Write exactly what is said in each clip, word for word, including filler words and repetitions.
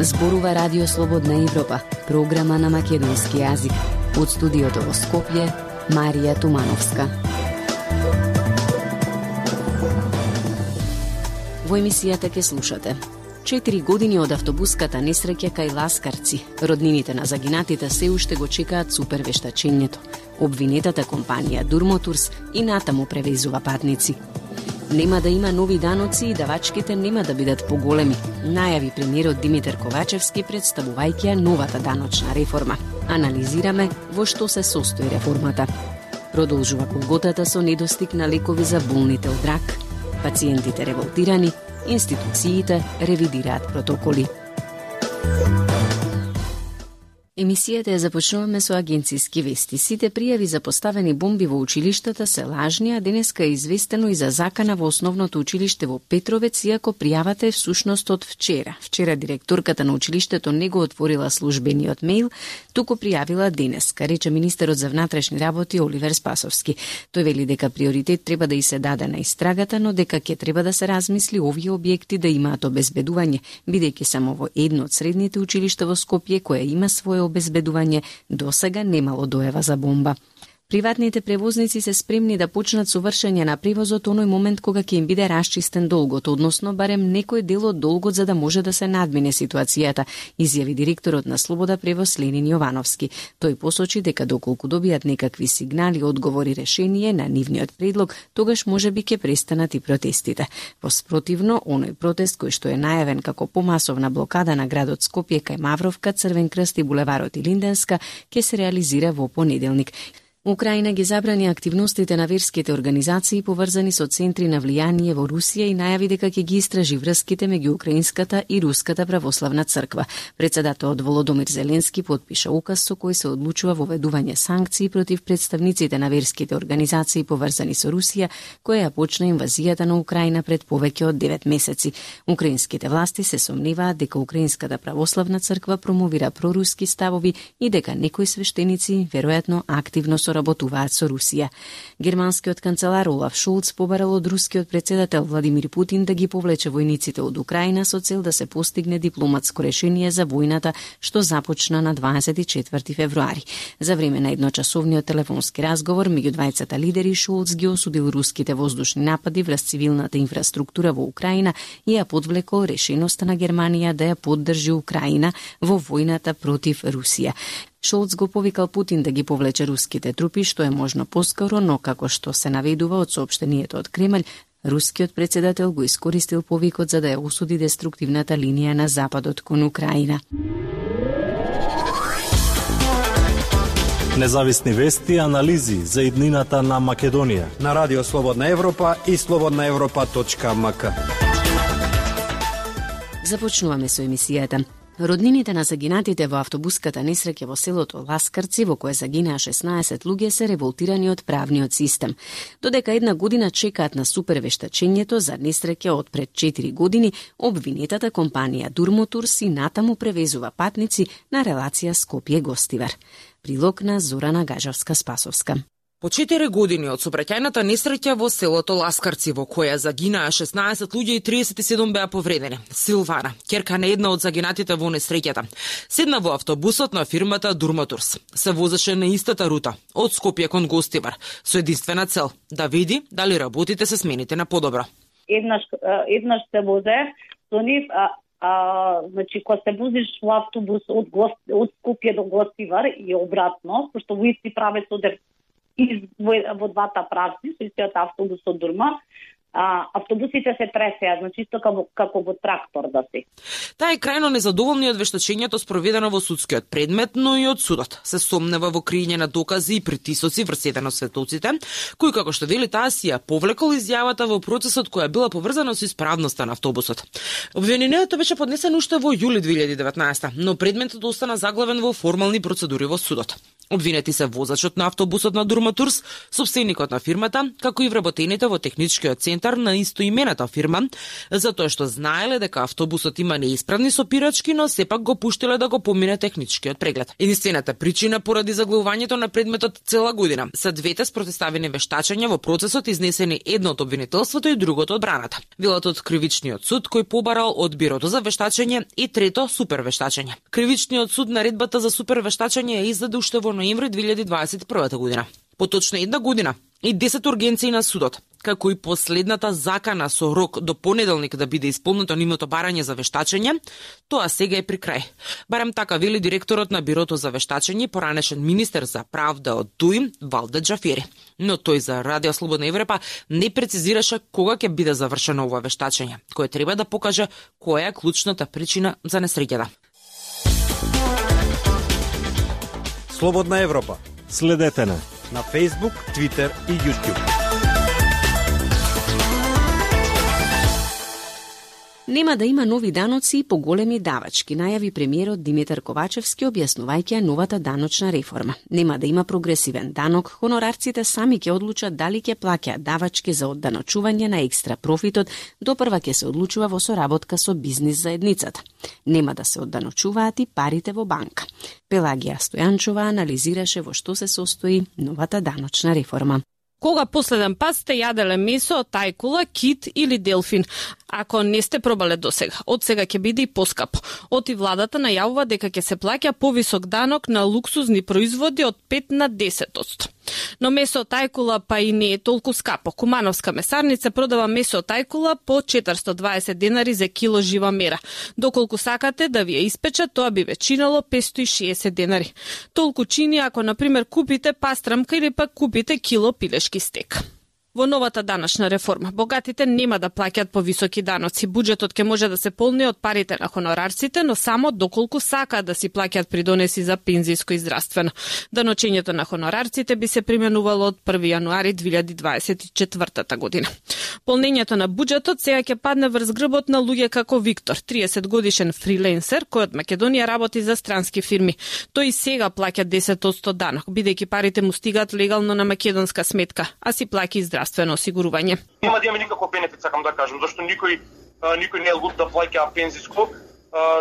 Зборува Радио Слободна Европа, програма на македонски јазик. Од студиото во Скопје, Марија Тумановска. Во емисијата ке слушате: Четири години од автобуската несреќа кај Ласкарци. Роднините на загинатите се уште го чекаат супервештачењето. Обвинетата компанија Durmoturs и натаму превезува патници. Нема да има нови даноци и давачките нема да бидат поголеми, најави премиерот Димитар Ковачевски представувајќи ја новата даночна реформа. Анализираме во што се состои реформата. Продолжува колготата со недостиг на лекови за болните од рак. Пациентите револтирани, институциите ревидираат протоколи. Емисијата ја започнуваме со агенциски вести. Сите пријави за поставени бомби во училиштата се лажни, а денеска е известено и за закана во основното училиште во Петровец, иако пријавата е всушност од вчера. Вчера директорката на училиштето не го отворила службениот мејл, туку пријавила денеска, рече министерот за внатрешни работи Оливер Спасовски. Тој вели дека приоритет треба да и се даде на истрагата, но дека ќе треба да се размисли овие објекти да имаат обезбедување, бидејќи само во едно од средните училишта во Скопје кое има свое обезбедување, досега немало доева за бомба. Приватните превозници се спремни да почнат со вршење на превозот оној момент кога ќе им биде расчистен долгот, односно барем некој дел од долгот за да може да се надмине ситуацијата, изјави директорот на Слобода превоз Ленин Јовановски. Тој посочи дека доколку добијат некакви сигнали, одговори, решение на нивниот предлог, тогаш можеби ќе престанат и протестите. Во спротивно, оној протест кој што е најавен како помасовна блокада на градот Скопје кај Мавровка, Црвен крст и булеварот и Линденска ќе се реализира во понеделник. Украина ги забрани активностите на верските организации поврзани со центри на влијание во Русија и најави дека ќе ги истражи врските меѓу украинската и руската православна црква. Председателот Володомир Зеленски потпиша указ со кој се одлучува воведување санкции против представниците на верските организации поврзани со Русија, која ја почна инвазијата на Украина пред повеќе од девет месеци. Украинските власти се сомневаат дека украинската православна црква промовира проруски ставови и дека некои свештеници веројатно активно работуваат со Русија. Германскиот канцелар Олаф Шолц побарал од рускиот председател Владимир Путин да ги повлече војниците од Украина со цел да се постигне дипломатско решение за војната што започна на дваесет и четврти февруари. За време на едночасовниот телефонски разговор меѓу двајцата лидери Шолц ги осудил руските воздушни напади врз цивилната инфраструктура во Украина и ја подвлекол решеноста на Германија да ја поддржи Украина во војната против Русија. Шолц го повикал Путин да ги повлече руските трупи што е можно поскоро, но како што се наведува од соопштението од Кремљ, рускиот председател го искористил повикот за да ја осуди деструктивната линија на западот кон Украина. Независни вести и анализи за иднината на Македонија на Радио Слободна Европа и слободна европа точка ем ка. Започнуваме со емисијата. Роднините на загинатите во автобуската несреќа во селото Ласкарци, во кое загинаа шеснаесет луѓе, се револтирани од правниот систем. Додека една година чекаат на супервештачењето за несреќа од пред четири години, обвинетата компанија Durmoturs и натаму превезува патници на релација Скопје-Гостивар. Прилог на Зорана Гажавска-Спасовска. По четири години од сообраќајната несреќа во селото Ласкарци, во која загинаа шеснаесет луѓе и триесет и седум беа повредени, Силвана, ќерка на една од загинатите во несреќата, седна во автобусот на фирмата Durmoturs. Се возеше на истата рута, од Скопје кон Гостивар, со единствена цел да види дали работите се смените на подобро. Еднаш, еднаш се возе со нив, а, а, значи, кога се возиш во автобус од, Гост, од Скопје до Гостивар и обратно, пошто во исти правец одев и во, во двата правци, со истиот автобус од Дурма, а, автобусите се пресеа, значи исто како, како во трактор да се. Таа е крајно незадоволна од вештачењето спроведено во судскиот предмет, но и од судот. Се сомнева во криење на докази и притисоци врз еден од светоците, кој, како што вели таа, си ја повлекол изјавата во процесот која била поврзана со исправноста на автобусот. Обвинението беше поднесено уште во јули две илјади и деветнаесета, но предметот остана заглавен во формални процедури во судот. Обвинети се возачот на автобусот на Дурматурс, сопственикот на фирмата, како и вработените во техничкиот центар на истоимената фирма, затоа што знаеле дека автобусот има неисправни сопирачки, но сепак го пуштиле да го помине техничкиот преглед. Единствената причина поради заглавувањето на предметот цела година се двете спротиставени вештачања во процесот, изнесени едно од обвинителството и другото од браната. Велат од кривичниот суд кој побарал од бирото за вештачење и трето супер вештачење. Кривичниот суд наредбата за супер вештачење ја издаде уште во ноември две илјади дваесет и прва година. Поточно една година и десет ургенции на судот, како и последната закана со рок до понеделник да биде исполнето нивното барање за вештачење, тоа сега е при крај. Барем така вели директорот на Бирото за вештачење, поранешен министер за правда од ДУИ, Валде Џафери. Но тој за Радио Слободна Европа не прецизираше кога ќе биде завршено ова вештачење, кое треба да покаже која е клучната причина за несреќата. Слободна Европа. Следете на на Facebook, Twitter и YouTube. Нема да има нови даноци и поголеми давачки, најави премиерот Димитар Ковачевски објаснувајќи новата даночна реформа. Нема да има прогресивен данок, хонорарците сами ќе одлучат дали ќе плаќаат давачки за одданочување на екстра профитот, допрва ќе се одлучува во соработка со бизнис заедницата. Нема да се одданочуваат и парите во банка. Пелагија Стојанчова анализираше во што се состои новата даночна реформа. Кога последен пат сте јаделе месо од тајкула, кит или делфин? Ако не сте пробале досега, од сега ќе биде и поскапо. Оти владата најавува дека ќе се плаќа повисок данок на луксузни производи од пет на десет одсто. Но месо од тајкула па и не е толку скапо. Кумановска месарница продава месо од тајкула по четиристо дваесет денари за кило жива мера. Доколку сакате да ви ја испечат, тоа би ве чинело петстотини и шеесет денари. Толку чини ако, например, купите пастрамка или пак купите кило пилешки стек. Во новата даночна реформа, богатите нема да плаќаат повисоки даноци. Буџетот ќе може да се полни од парите на хонорарците, но само доколку сакаат да си плаќаат придонеси за пензијско и здравствено. Даночењето на хонорарците би се применувало од први јануари две илјади дваесет и четврта година. Полнењето на буџетот сега ќе падне врз грбот на луѓе како Виктор, триесет годишен фриленсер кој од Македонија работи за странски фирми. Тој и сега плаќа десет одсто данок, бидејќи парите му стигаат легално на македонска сметка, а си плаќа и здравствено осигурување. Нема да имаме никаков бенефит, сакам да кажам, зашто никој никој не е луд да плаќа пензиско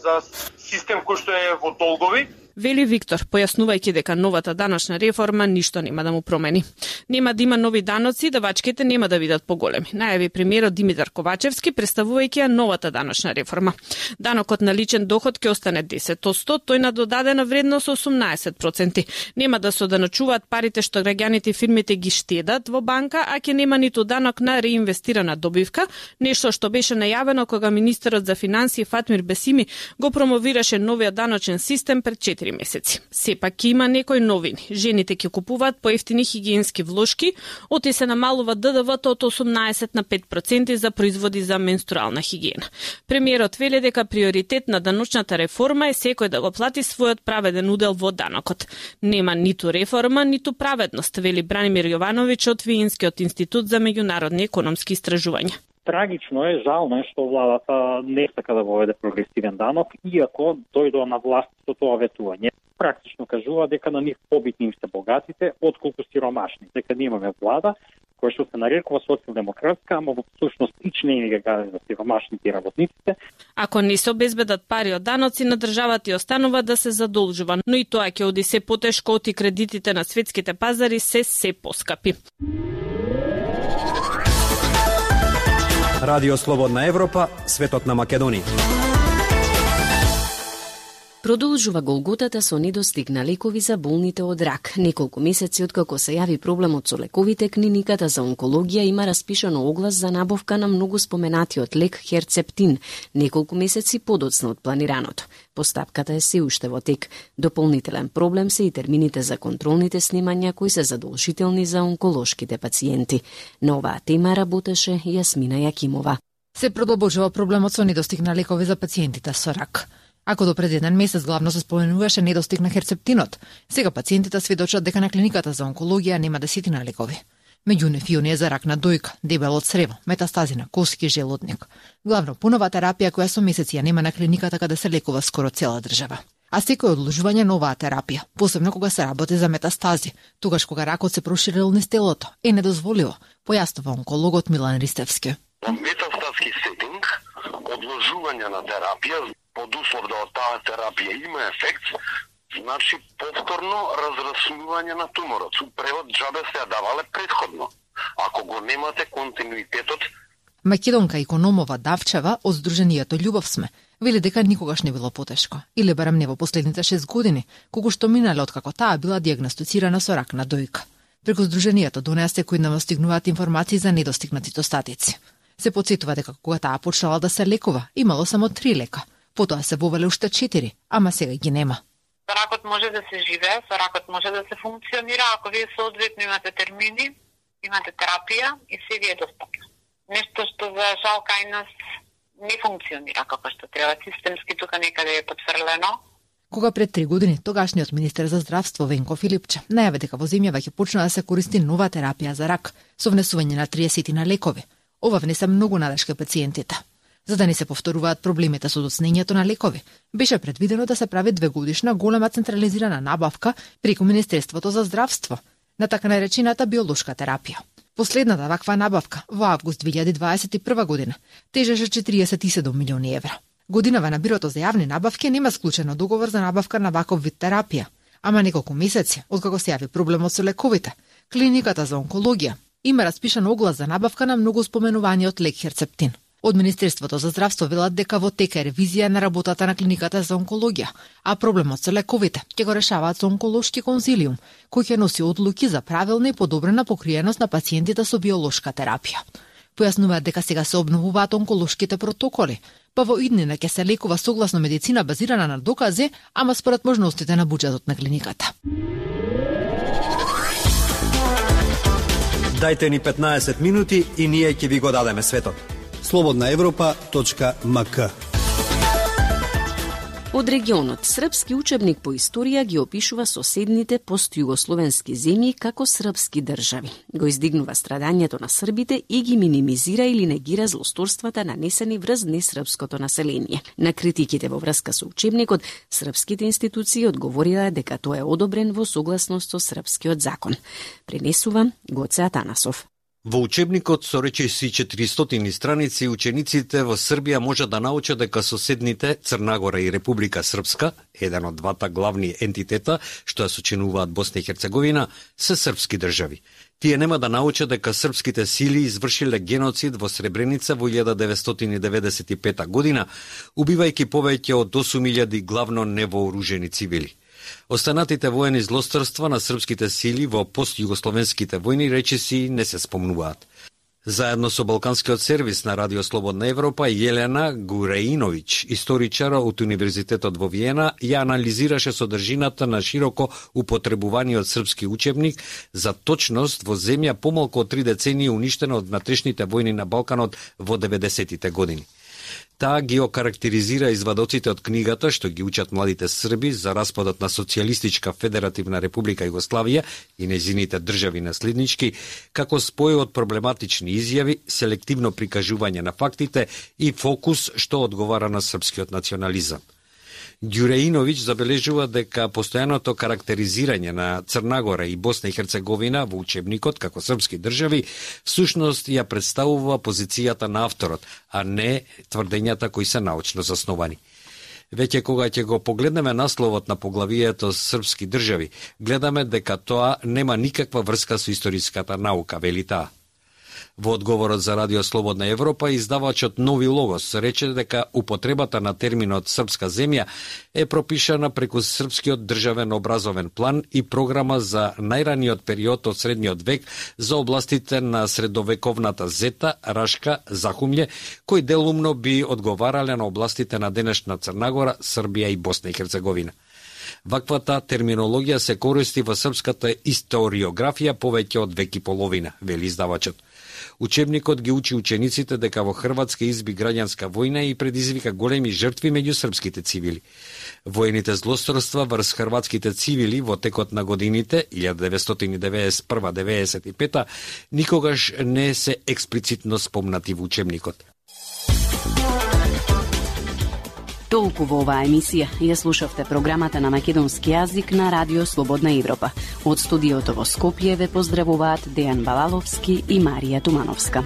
за систем кој што е во долгови. Вели Виктор, појаснувајќи дека новата даночна реформа ништо нема да му промени. Нема да има нови даноци, давачките нема да бидат поголеми. Најави премиерот Димитар Ковачевски представувајќи ја новата даночна реформа. Данокот на личен доход ќе остане десет одсто, тој на додадена вредност осумнаесет проценти. Нема да се одданочуваат парите што граѓаните и фирмите ги штедат во банка, а ќе нема ниту данок на реинвестирана добивка, нешто што беше најавено кога министерот за финансии Фатмир Бесими го промовираше новиот даночен систем пред четири месеци. Сепак ќе има некои новини. Жените ќе купуваат поевтини хигиенски влошки, оти се намалува Д Д В-то од осумнаесет на пет проценти за производи за менструална хигиена. Премиерот вели дека приоритет на даночната реформа е секој да го плати својот праведен удел во данокот. Нема ниту реформа, ниту праведност, вели Бранимир Јовановиќ од Виенскиот институт за меѓународни економски истражувања. Трагично е, жално е што владата не сака да воведе прогресивен данок, иако дојдоа на власт со тоа ветување. Практично кажува дека на нив побитни им се богатите, отколку сиромашни. Дека не имаме влада која што се нарекува социјалдемократска, ама во всушност ич не ги гази за сиромашните и работниците. Ако не се обезбедат пари од даноци, на државата и останува да се задолжува, но и тоа ќе оди се потешко, оти кредитите на светските пазари се се поскапи. Радио Слободна Европа, светот на Македонија. Продолжува голготата со недостиг на лекови за болните од рак. Неколку месеци откако се јави проблемот со лековите, клиниката за онкологија има распишано оглас за набавка на многу споменатиот лек Херцептин, неколку месеци подоцна од планираното. Постапката е се уште во тек. Дополнителен проблем се и термините за контролните снимања кои се задолжителни за онколошките пациенти. На оваа тема работеше Јасмина Јакимова. Се продолжува проблемот со недостиг на лекови за пациентите со рак. Ако до пред еден месец главно се споменуваше недостиг на херцептинот, сега пациентите сведочат дека на клиниката за онкологија нема десетина лекови. Меѓу нив и оние за рак на дојка, дебело црево, метастази на коски, желудник. Главно пунова терапија која со месеци ја нема на клиниката каде се лекува скоро цела држава. а секој одложување на оваа терапија, посебно кога се работи за метастази, тогаш кога ракот се проширил низ телото, е недозволиво, појаснува онкологот Милан Ристевски. Во метастатски сетинг, одложување на терапија, под услов да од таа терапија има ефект, значи повторно разраснување на туморот. Со превод џабе се ја давале предходно. Ако го немате континуитетот. Македонка Икономова Давчева од Сдруженијето Љубов сме вели дека никогаш не било потешко, или барем не во последните шест години, кога што минале откако таа била дијагностицирана со рак на дојка. Преку Сдруженијето до неа секојдневно стигнуваат информации за недостигнатите остатици. Се потсетува дека кога таа почнала да се лекува, имало само три лека, потоа се вовеле уште четири, ама сега ги нема. Ракот може да се живее, со ракот може да се функционира, ако вие соодветно имате термини, имате терапија и се ви е достапно. Нешто што за жал кај нас не функционира како што треба, системски тука некаде е потфрлено. Кога пред три години тогашниот министер за здравство Венко Филипче најави дека во земјава ќе почне да се користи нова терапија за рак со внесување на триесет на лекови, ова внесе многу надеж кај пациентите. За да не се повторуваат проблемите со доцнењето на лекови, беше предвидено да се прави двегодишна голема централизирана набавка преку Министерството за здравство на така наречената биолошка терапија. Последната ваква набавка во август две илјади дваесет и прва година тежеше четириесет и седум милиони евра. Годинава на Бирото за јавни набавки нема склучено договор за набавка на ваков вид терапија, ама неколку месеци откако се јави проблемот со лековите, клиниката за онкологија има распишан оглас за набавка на многу споменуваниот лек Херцептин. Од Министерството за здравство велат дека во тека е ревизија на работата на клиниката за онкологија, а проблемот со лековите ќе го решаваат со онколошки конзилиум, кој ќе носи одлуки за правилна и подобрена покриеност на пациентите со биолошка терапија. Појаснуваат дека сега се обновуваат онколошките протоколи, па во иднина ќе се лекува согласно медицина базирана на докази, ама според можностите на буџетот на клиниката. Дајте ни петнаесет минути и ние ќе ви го дадеме светот. слободна европа точка ем ка. Од регионот, српски учебник по историја ги опишува соседните постјугословенски земји како српски држави. Го издигнува страдањето на србите и ги минимизира или негира злосторствата нанесени врз несрпското население. На критиките во врска со учебникот, српските институции одговорила дека тоа е одобрен во согласност со српскиот закон. Пренесува Гоце Атанасов. Во учебникот со речиси четиристотини страници, учениците во Србија можат да научат дека соседните Црнагора и Република Српска, еден од двата главни ентитета што ја сочинуваат Босна и Херцеговина, се српски држави. Тие нема да научат дека српските сили извршиле геноцид во Сребреница во илјада деветстотини деветдесет и пета година, убивајќи повеќе од осум илјади главно невооружени цивили. Останатите воени злосторства на српските сили во постјугословенските војни речиси не се спомнуваат. Заедно со Балканскиот сервис на Радио Слободна Европа, Јелена Гуреиновиќ, историчар од Универзитетот во Виена, ја анализираше содржината на широко употребуваниот српски учебник за точност во земја помалку од три децении уништена од внатрешните војни на Балканот во деветдесетите години. Таа ги окарактеризира извадоците од книгата што ги учат младите срби за распадот на Социјалистичка Федеративна Република Југославија и нејзините држави наследнички, како спој од проблематични изјави, селективно прикажување на фактите и фокус што одговара на српскиот национализам. Ѓуреиновиќ забележува дека постојаното карактеризирање на Црнагора и Босна и Херцеговина во учебникот како српски држави всушност ја представува позицијата на авторот, а не тврдењата кои се научно засновани. Веќе кога ќе го погледнеме насловот на поглавието српски држави, гледаме дека тоа нема никаква врска со историската наука, вели таа. Во одговорот за Радио Слободна Европа, издавачот Нови Логос рече дека употребата на терминот српска земја е пропишана преку српскиот државен образовен план и програма за најраниот период од средниот век за областите на средовековната Зета, Рашка, Захумље, кои делумно би одговарале на областите на денешна Црнагора, Србија и Босна и Херцеговина. Ваквата терминологија се користи во српската историографија повеќе од век и половина, вели издавачот. Учебникот ги учи учениците дека во Хрватска изби граѓанска војна и предизвика големи жртви меѓу српските цивили. Воените злосторства врз хрватските цивили во текот на годините илјада деветстотини деветдесет и прва до деветдесет и пета никогаш не се експлицитно спомнати во учебникот. Толку во оваа емисија ја слушавте програмата на македонски јазик на Радио Слободна Европа. Од студиото во Скопје ве поздравуваат Дејан Балаловски и Марија Тумановска.